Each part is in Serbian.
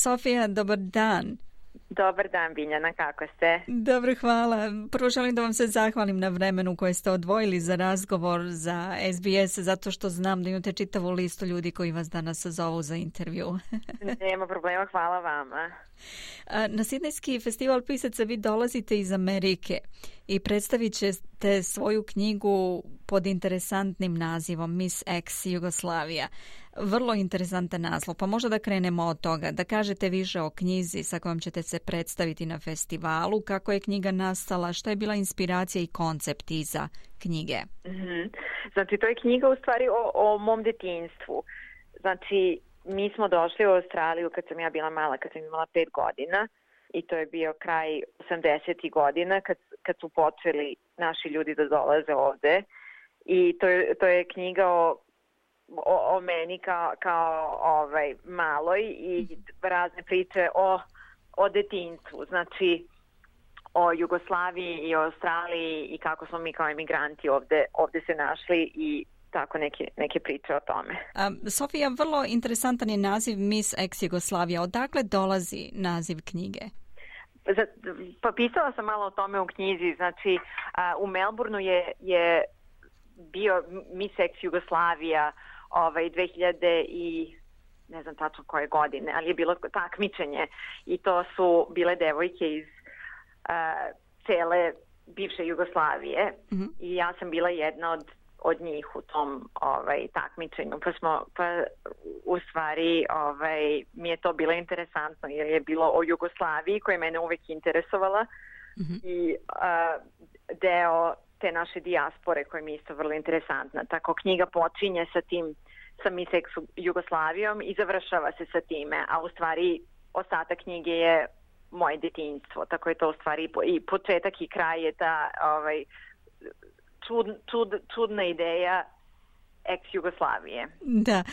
Sofija, dobar dan. Dobar dan, Biljana, kako ste? Dobro, hvala. Prvo želim da vam se zahvalim na vremenu koje ste odvojili za razgovor za SBS, zato što znam da imate čitavu listu ljudi koji vas danas zovu za intervju. Nema problema, hvala vama. Na Sidnejski festival pisaca vi dolazite iz Amerike i predstavit ćete svoju knjigu pod interesantnim nazivom Miss Ex Jugoslavija. Vrlo interesantan naslov, pa možda da krenemo od toga, da kažete više o knjizi sa kojom ćete se predstaviti na festivalu, kako je knjiga nastala, šta je bila inspiracija i koncept iza knjige. Znači, to je knjiga u stvari o mom detinjstvu. Znači, mi smo došli u Australiju kad sam ja bila mala, kad sam imala 5 godina i to je bio kraj 80. godina kad su počeli naši ljudi da dolaze ovde i to je knjiga o meni kao maloj i razne priče o detinjstvu, znači o Jugoslaviji i o Australiji i kako smo mi kao emigranti ovde se našli i tako neke priče o tome. Sofija, vrlo interesantan je naziv Miss Ex Jugoslavija. Odakle dolazi naziv knjige? Pa pisala sam malo o tome u knjizi. Znači, u Melbourneu je bio Miss Ex Jugoslavija 2000 i ne znam tačno koje godine, ali je bilo takmičenje i to su bile devojke iz cele bivše Jugoslavije i ja sam bila jedna od njih u tom takmičenju, pa u stvari mi je to bilo interesantno jer je bilo o Jugoslaviji koja je mene uvek interesovala i deo te naše dijaspore koja mi je isto vrlo interesantna. Tako knjiga počinje sa Miss Ex Jugoslavijom i završava se sa time, a u stvari ostatak knjige je moje detinjstvo, tako je to u stvari i početak i kraj je ta čudna ideja ex-Jugoslavije. Da.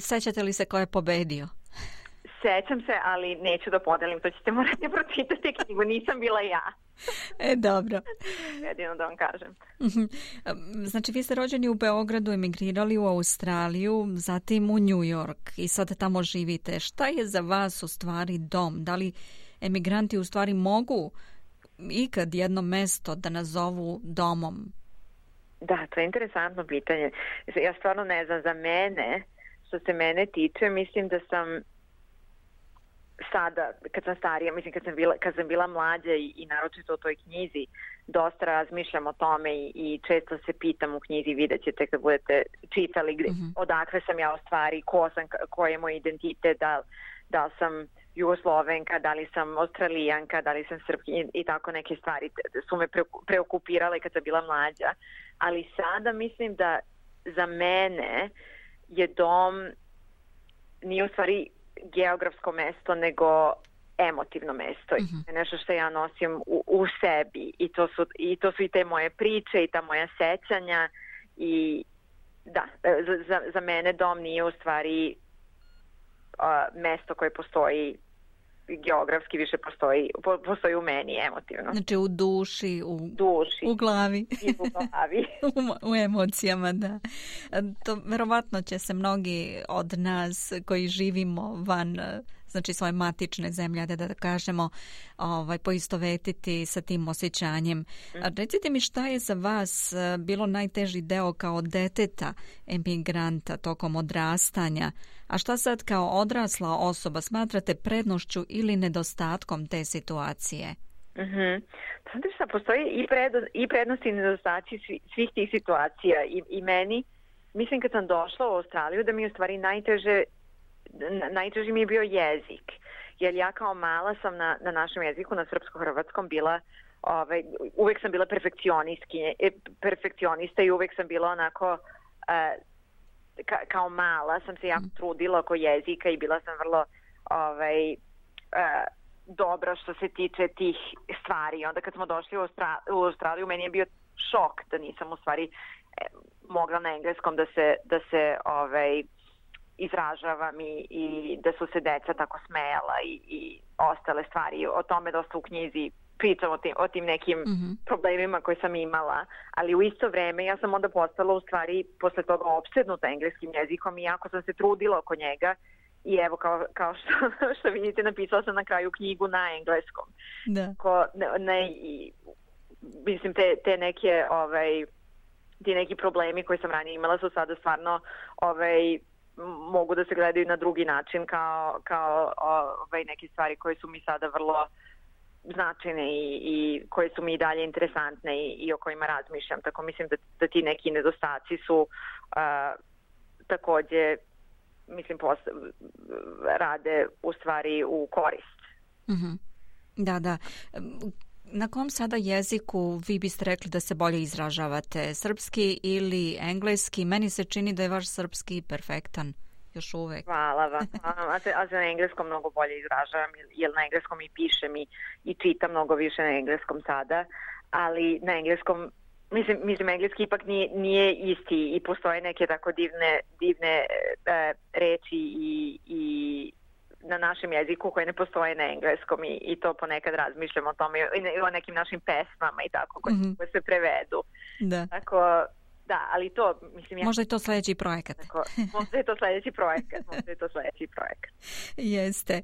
Sećate li se ko je pobedio? Sećam se, ali neću da podelim. To ćete morati pročitati knjigu. Nisam bila ja. Dobro. Jedino da vam kažem. Znači, vi ste rođeni u Beogradu, emigrirali u Australiju, zatim u New York i sad tamo živite. Šta je za vas u stvari dom? Da li emigranti u stvari mogu ikad jedno mesto da nazovu domom? Da, to je interesantno pitanje. Ja stvarno ne znam, za mene, što se mene tiče, mislim da sam sada, kad sam starija, mislim kad sam bila mlađa i naročito o toj knjizi, dosta razmišljam o tome i često se pitam u knjizi, vidjet ćete kad budete čitali odakle sam ja u stvari, ko je moj identitet, da li sam Jugoslovenka, da li sam Australijanka, da li sam Srpkinja i tako neke stvari su me preokupirale kad sam bila mlađa. Ali sada mislim da za mene je dom nije u stvari geografsko mesto, nego emotivno mesto. Nešto što ja nosim u sebi i to su i te moje priče i ta moja sećanja i da, za mene dom nije u stvari mesto koje postoji geografski, više postoji u meni emotivno. Znači u duši, u glavi. I u glavi. u emocijama, da. To verovatno će se mnogi od nas koji živimo van znači svoje matične zemlje, da kažemo, poistovetiti sa tim osjećanjem. Recite mi šta je za vas bilo najteži deo kao deteta emigranta tokom odrastanja, a šta sad kao odrasla osoba smatrate prednošću ili nedostatkom te situacije? Znate šta, postoji i prednosti i nedostaci svih tih situacija i meni, mislim kad sam došla u Australiju da mi je u stvari najteži mi je bio jezik, jer ja kao mala sam na našem jeziku, na srpsko-hrvatskom bila, uvek sam bila perfekcionista i uvek sam bila onako, kao mala sam se jako trudila oko jezika i bila sam vrlo dobra što se tiče tih stvari. Onda kad smo došli u Australiju, meni je bio šok da nisam u stvari mogla na engleskom da se izražavam i da su se deca tako smejala i ostale stvari. O tome dosta u knjizi pričam o tim nekim problemima koje sam imala, ali u isto vreme ja sam onda postala u stvari posle toga opsednuta engleskim jezikom i jako sam se trudila oko njega I evo, kao što vidite, napisala sam na kraju knjigu na engleskom. Da. Mislim, te neke, ti neki problemi koji sam ranije imala su sada stvarno mogu da se gledaju na drugi način kao neke stvari koje su mi sada vrlo značajne i koje su mi i dalje interesantne i o kojima razmišljam. Tako mislim da ti neki nedostaci su takođe, mislim, rade u stvari u korist. Mm-hmm. Da. Na kom sada jeziku vi biste rekli da se bolje izražavate? Srpski ili engleski? Meni se čini da je vaš srpski perfektan još uvek. Hvala vam. A za na engleskom mnogo bolje izražavam, jer na engleskom i pišem i čitam mnogo više na engleskom sada, ali na engleskom, mislim engleski ipak nije isti i postoje neke tako divne reči i na našem jeziku koje ne postoje na engleskom i to ponekad razmišljam o tome i o nekim našim pesmama i tako koje se prevedu. Da. Tako, da, ali to, mislim... Možda je to sljedeći projekat. Možda je to sljedeći projekat. Jeste.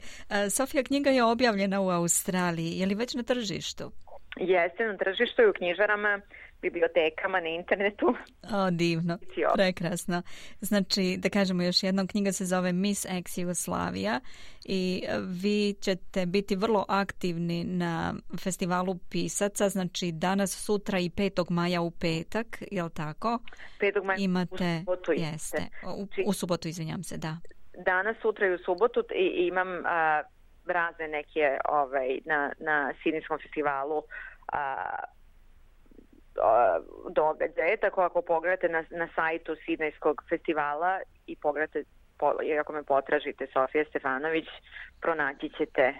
Sofija, knjiga je objavljena u Australiji. Je li već na tržištu? Jeste, na tržištu i u knjižarama, bibliotekama, na internetu. O, divno. Prekrasno. Znači, da kažemo još jednom, knjiga se zove Miss Ex Jugoslavija i vi ćete biti vrlo aktivni na festivalu pisaca, znači danas, sutra i 5. maja u petak, je li tako? 5. maja imate, u subotu. Jeste. U subotu, izvinjam se, da. Danas, sutra i u subotu imam razne neke na Sidnejskom festivalu događaje, tako ako pogledate na sajtu Sidnejskog festivala i pogledate, ako me potražite Sofija Stefanović, pronaći ćete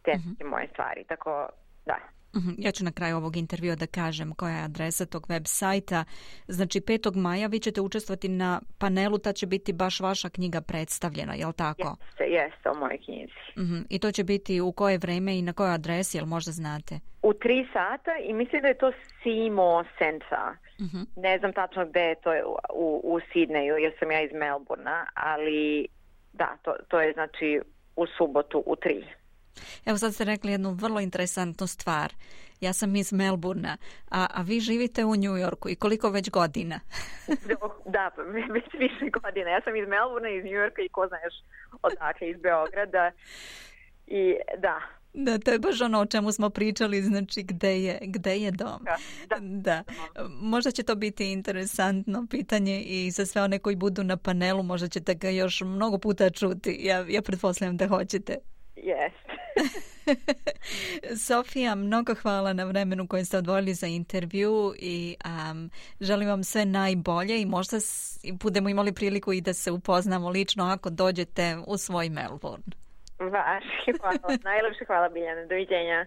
te moje stvari, tako da. Ja ću na kraju ovog intervjua da kažem koja je adresa tog web sajta. Znači 5. maja vi ćete učestvovati na panelu, ta će biti baš vaša knjiga predstavljena, je li tako? Jeste, o mojoj knjizi. I to će biti u koje vreme i na kojoj adresi, jel možda znate? U 3 sata i mislim da je to Seymour Centre. Ne znam tačno gde je to u Sidneju, jer sam ja iz Melbourna, ali da, to je znači u subotu u 3. Evo sad ste rekli jednu vrlo interesantnu stvar. Ja sam iz Melbourna, a vi živite u New Yorku i koliko već godina? Da, već više godina. Ja sam iz Melbourna, iz New Yorka i ko zna još odakle, iz Beograda. I da. Da, to je baš ono o čemu smo pričali, znači gde je dom. Da. Možda će to biti interesantno pitanje i za sve one koji budu na panelu, možda ćete ga još mnogo puta čuti. Ja pretpostavljam da hoćete. Jeste. Sofija, mnogo hvala na vremenu koje ste odvojili za intervju i želim vam sve najbolje i možda budemo imali priliku i da se upoznamo lično ako dođete u svoj Melbourne. Hvala. Najlepše hvala, Biljana. Doviđenja.